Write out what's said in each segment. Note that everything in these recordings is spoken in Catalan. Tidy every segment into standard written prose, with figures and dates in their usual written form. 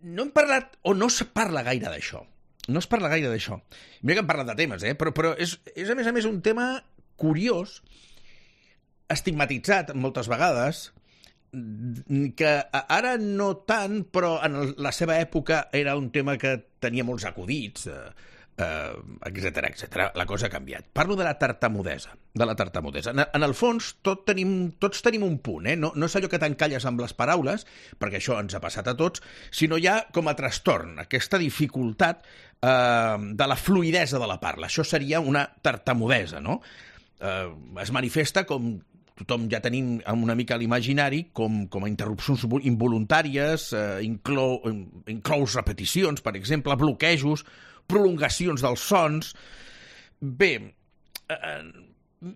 no hem parlat, o no se parla gaire d'això. No es parla gaire d'això. Mira que hem parlat de temes, però és a més un tema curiós, estigmatitzat moltes vegades, que ara no tant, però en la seva època era un tema que tenia molts acudits, etc. La cosa ha canviat. Parlo de la tartamudesa. En el fons, tots tenim un punt, no és allò que t'encalles amb les paraules, perquè això ens ha passat a tots, sinó ja com a trastorn, aquesta dificultat de la fluïdesa de la parla. Això seria una tartamudesa, no? Es manifesta com tothom ja tenim una mica a l'imaginari com a interrupcions involuntàries, inclous repeticions, per exemple, bloquejos, prolongacions dels sons. Bé,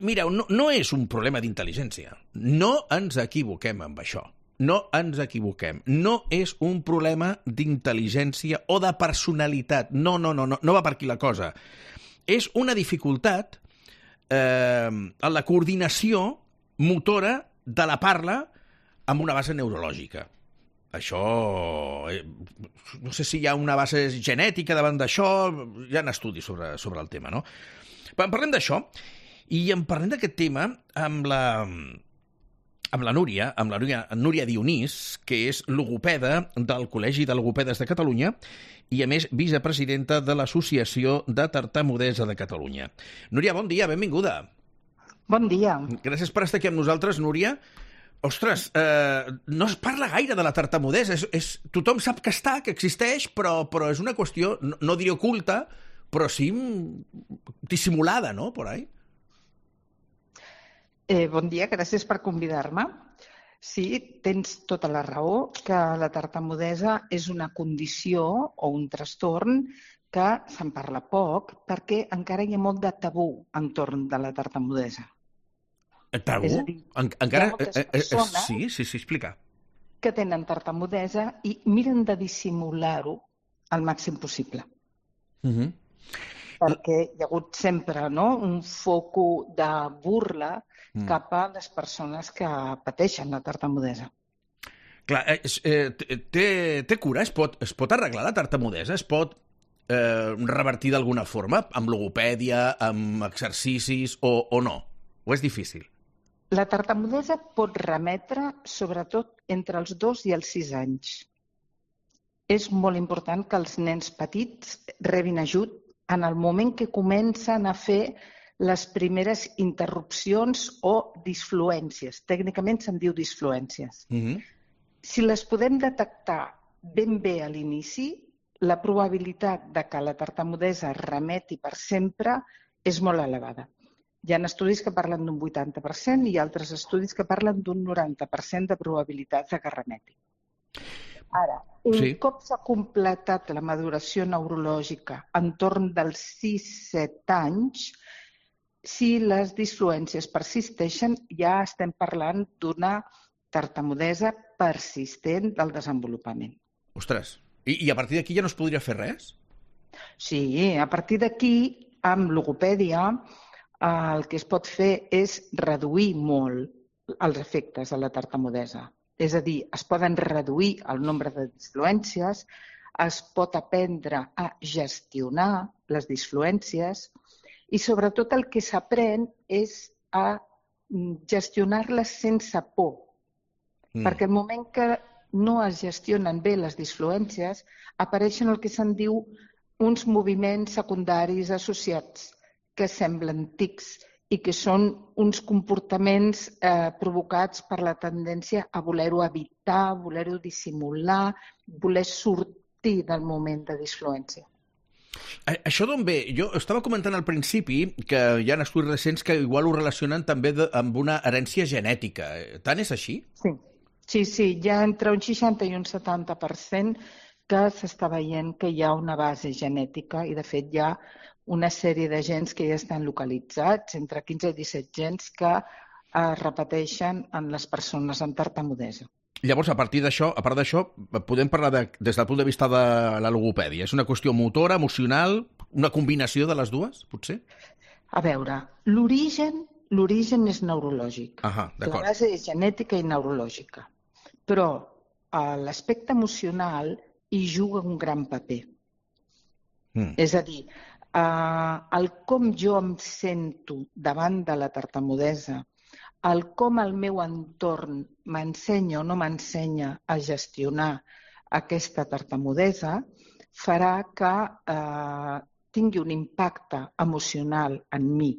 mireu, no és un problema d'intel·ligència. No ens equivoquem amb això. No ens equivoquem. No és un problema d'intel·ligència o de personalitat. No va per aquí la cosa. És una dificultat en la coordinació motora de la parla amb una base neurològica. Això, no sé si hi ha una base genètica davant d'això, hi ha estudis sobre el tema, no? Parlem d'això, i en parlem d'aquest tema amb la Núria Dionís, que és logopeda del Col·legi de Logopedes de Catalunya i, a més, vicepresidenta de l'Associació de Tartamudesa de Catalunya. Núria, bon dia, benvinguda. Bon dia. Gràcies per estar aquí amb nosaltres, Núria. Ostres, no es parla gaire de la tartamudesa. Tothom sap que existeix, però és una qüestió, no diré oculta, però sí dissimulada, no?, por ahí. Bon dia, gràcies per convidar-me. Sí, tens tota la raó, que la tartamudesa és una condició o un trastorn que se'n parla poc perquè encara hi ha molt de tabú entorn de la tartamudesa. Tabú? És a dir, encara... hi ha moltes persones Sí, explica. que tenen tartamudesa i miren de dissimular-ho al màxim possible. Perquè hi ha hagut sempre, no?, un foco de burla cap a les persones que pateixen la tartamudesa. Clar, té cura? Es pot arreglar la tartamudesa? Es pot revertir d'alguna forma? Amb logopèdia, amb exercicis o no? O és difícil? La tartamudesa pot remetre sobretot entre els 2 i els 6 anys. És molt important que els nens petits rebin ajut en el moment que comencen a fer les primeres interrupcions o disfluències. Tècnicament se'n diu disfluències. Si les podem detectar ben bé a l'inici, la probabilitat de que la tartamudesa remeti per sempre és molt elevada. Hi ha estudis que parlen d'un 80% i altres estudis que parlen d'un 90% de probabilitats de que remeti. Ara, un cop s'ha completat la maduració neurològica entorn dels 6-7 anys, si les disfluències persisteixen, ja estem parlant d'una tartamudesa persistent del desenvolupament. Ostres, i a partir d'aquí ja no es podria fer res? Sí, a partir d'aquí, amb logopèdia, el que es pot fer és reduir molt els efectes de la tartamudesa. És a dir, es poden reduir el nombre de disfluències, es pot aprendre a gestionar les disfluències i sobretot el que s'aprèn és a gestionar-les sense por. Perquè el moment que no es gestionen bé les disfluències, apareixen el que se'n diu uns moviments secundaris associats que semblen tics i que són uns comportaments provocats per la tendència a voler-ho evitar, voler-ho dissimular, voler sortir del moment de disfluència. Això d'on ve? Jo estava comentant al principi que hi ha estudis recents que igual ho relacionen també amb una herència genètica. Tant és així? Sí, hi ha entre un 60 i un 70% que s'està veient que hi ha una base genètica i de fet hi ha una sèrie de gens que ja estan localitzats, entre 15 i 17 gens que es repeteixen en les persones amb tartamudesa. Llavors, a part d'això, podem parlar des del punt de vista de la logopèdia. És una qüestió motora, emocional, una combinació de les dues, potser? A veure, l'origen és neurològic. La base és genètica i neurològica. Però l'aspecte emocional hi juga un gran paper. Mm. És a dir, el com jo em sento davant de la tartamudesa, el com el meu entorn m'ensenya o no m'ensenya a gestionar aquesta tartamudesa, farà que tingui un impacte emocional en mi,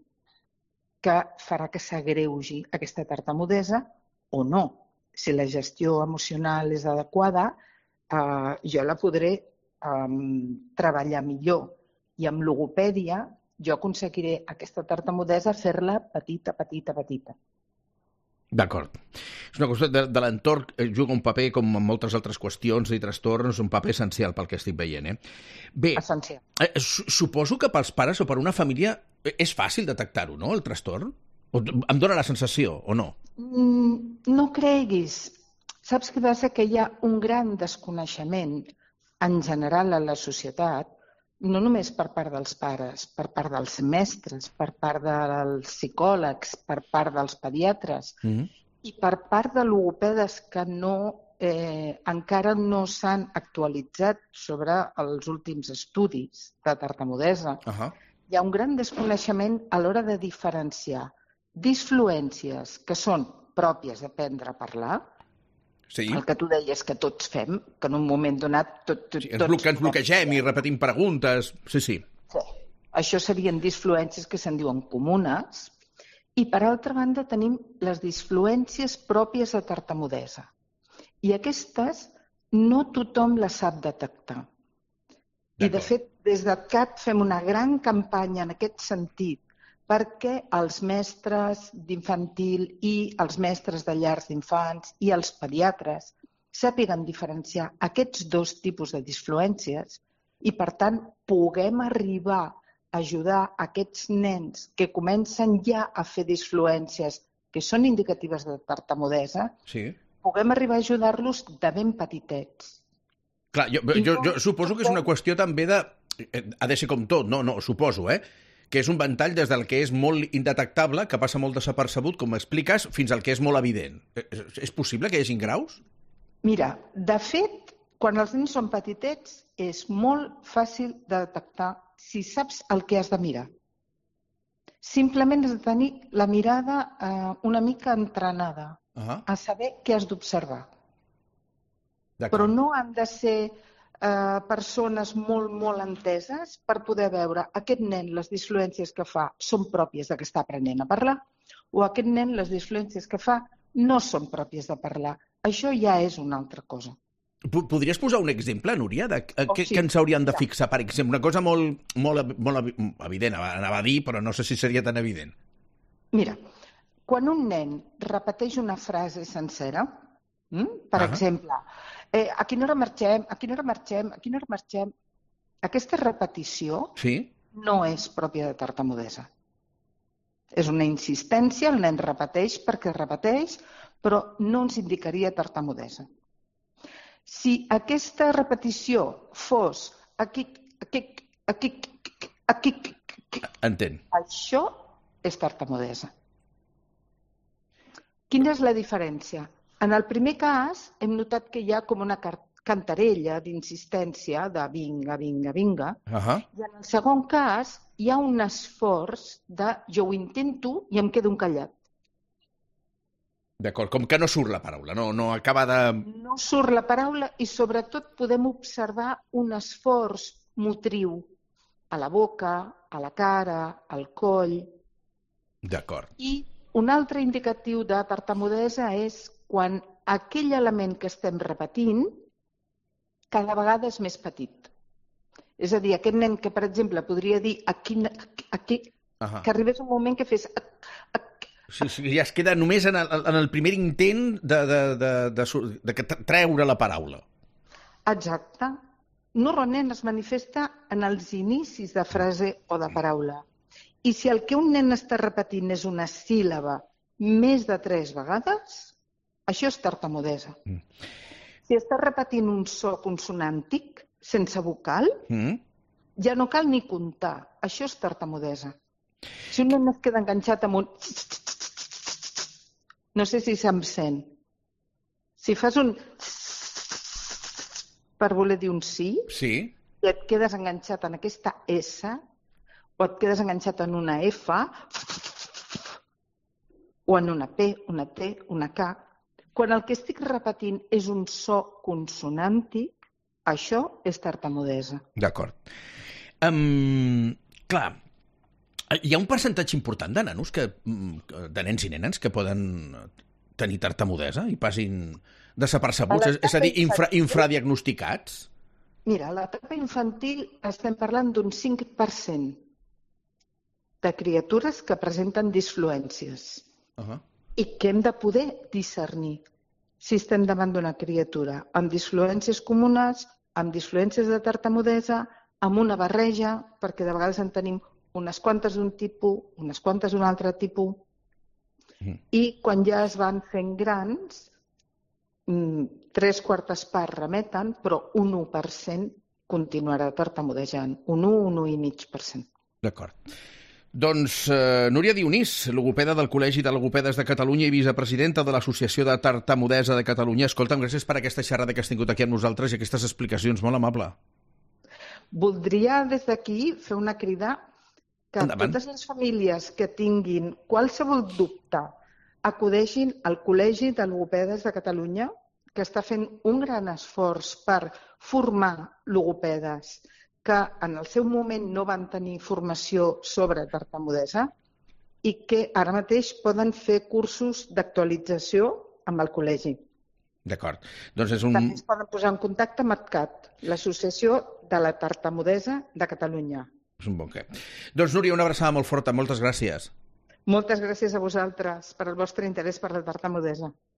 que farà que s'agreugi aquesta tartamudesa o no. Si la gestió emocional és adequada, jo la podré treballar millor. I amb logopèdia jo aconseguiré aquesta tartamudesa fer-la petita, petita, petita. D'acord. És una qüestió de l'entorn, juga un paper, com en moltes altres qüestions i trastorns, un paper essencial pel que estic veient. Bé, essencial. Suposo que pels pares o per una família és fàcil detectar-ho, no?, el trastorn? Em dóna la sensació, o no? No creguis. Saps què passa? Que hi ha un gran desconeixement en general a la societat, no només per part dels pares, per part dels mestres, per part dels psicòlegs, per part dels pediatres i per part de logopedes que encara no s'han actualitzat sobre els últims estudis de tartamudesa. Hi ha un gran desconeixement a l'hora de diferenciar disfluències que són pròpies d'aprendre a parlar, sí. El que tu deies que tots fem, que en un moment donat... Ens bloquegem i repetim preguntes. Sí. Això serien disfluències que se'n diuen comunes. I, per altra banda, tenim les disfluències pròpies de tartamudesa. I aquestes no tothom les sap detectar. I, de fet, des de CAT fem una gran campanya en aquest sentit perquè els mestres d'infantil i els mestres de llars d'infants i els pediatres sàpiguen diferenciar aquests dos tipus de disfluències i, per tant, puguem arribar a ajudar aquests nens que comencen ja a fer disfluències que són indicatives de tartamudesa, puguem arribar a ajudar-los de ben petitets. Clar, jo suposo que és una qüestió també de... Ha de ser com tot, no, suposo, que és un ventall des del que és molt indetectable, que passa molt desapercebut, com m'expliques, fins al que és molt evident. És possible que hi hagin graus? Mira, de fet, quan els nens són petitets, és molt fàcil de detectar si saps el que has de mirar. Simplement has de tenir la mirada una mica entrenada a saber què has d'observar. Però no han de ser persones molt, molt enteses per poder veure aquest nen, les disfluències que fa són pròpies de que està aprenent a parlar o aquest nen, les disfluències que fa no són pròpies de parlar. Això ja és una altra cosa. Podries posar un exemple, Núria, de què ens hauríem de fixar? Per exemple, una cosa molt evident, anava a dir, però no sé si seria tan evident. Mira, quan un nen repeteix una frase sencera, per exemple, a quina hora marxem, a quina hora marxem, a quina hora marxem, aquesta repetició no és pròpia de tartamudesa. És una insistència, el nen repeteix perquè repeteix, però no ens indicaria tartamudesa. Si aquesta repetició fos aquí, Entenc. Això és tartamudesa. Quina és la diferència? En el primer cas hem notat que hi ha com una cantarella d'insistència de vinga, vinga, vinga. I en el segon cas hi ha un esforç de jo ho intento i em quedo callat. D'acord, com que no surt la paraula, no acaba de... No surt la paraula i sobretot podem observar un esforç motriu a la boca, a la cara, al coll. D'acord. I un altre indicatiu de tartamudesa és quan aquell element que estem repetint cada vegada és més petit. És a dir, aquest nen que, per exemple, podria dir aquí, que arribés un moment que fes... Sí, ja es queda només en el primer intent de treure la paraula. Exacte. Normalment es manifesta en els inicis de frase o de paraula. I si el que un nen està repetint és una síl·laba més de 3 vegades, això és tartamudesa. Si està repetint un so consonàntic, sense vocal, ja no cal ni comptar. Això és tartamudesa. Si un nen es queda enganxat amb un... No sé si se'm sent. Si fas un... per voler dir un sí, Sí. i et quedes enganxat en aquesta S, o et quedes enganxat en una F, o en una P, una T, una K. Quan el que estic repetint és un so consonàntic, això és tartamudesa. D'acord. Clar, hi ha un percentatge important de nanos, de nens i nenes, que poden tenir tartamudesa i passin desapercebuts, és a dir, infradiagnosticats? Mira, a l'etapa infantil estem parlant d'un 5% de criatures que presenten disfluències i que hem de poder discernir si estem davant d'una criatura amb disfluències comunes, amb disfluències de tartamudesa, amb una barreja, perquè de vegades en tenim unes quantes d'un tipus, unes quantes d'un altre tipus, i quan ja es van fent grans, 3/4 parts remeten, però un 1% continuarà tartamudejant. Un 1,5%. D'acord. Doncs Núria Dionís, logopeda del Col·legi de Logopedes de Catalunya i vicepresidenta de l'Associació de Tartamudesa de Catalunya. Escolta'm, gràcies per aquesta xerrada que has tingut aquí amb nosaltres i aquestes explicacions. Molt amable. Voldria des d'aquí fer una crida que totes les famílies que tinguin qualsevol dubte acudeixin al Col·legi de Logopedes de Catalunya, que està fent un gran esforç per formar logopedes que en el seu moment no van tenir formació sobre tartamudesa i que ara mateix poden fer cursos d'actualització amb el col·legi. D'acord. Doncs també es poden posar en contacte amb ATCAT, l'Associació de la Tartamudesa de Catalunya. És un bon què. Doncs Núria, una abraçada molt forta. Moltes gràcies. Moltes gràcies a vosaltres per el vostre interès per la tartamudesa.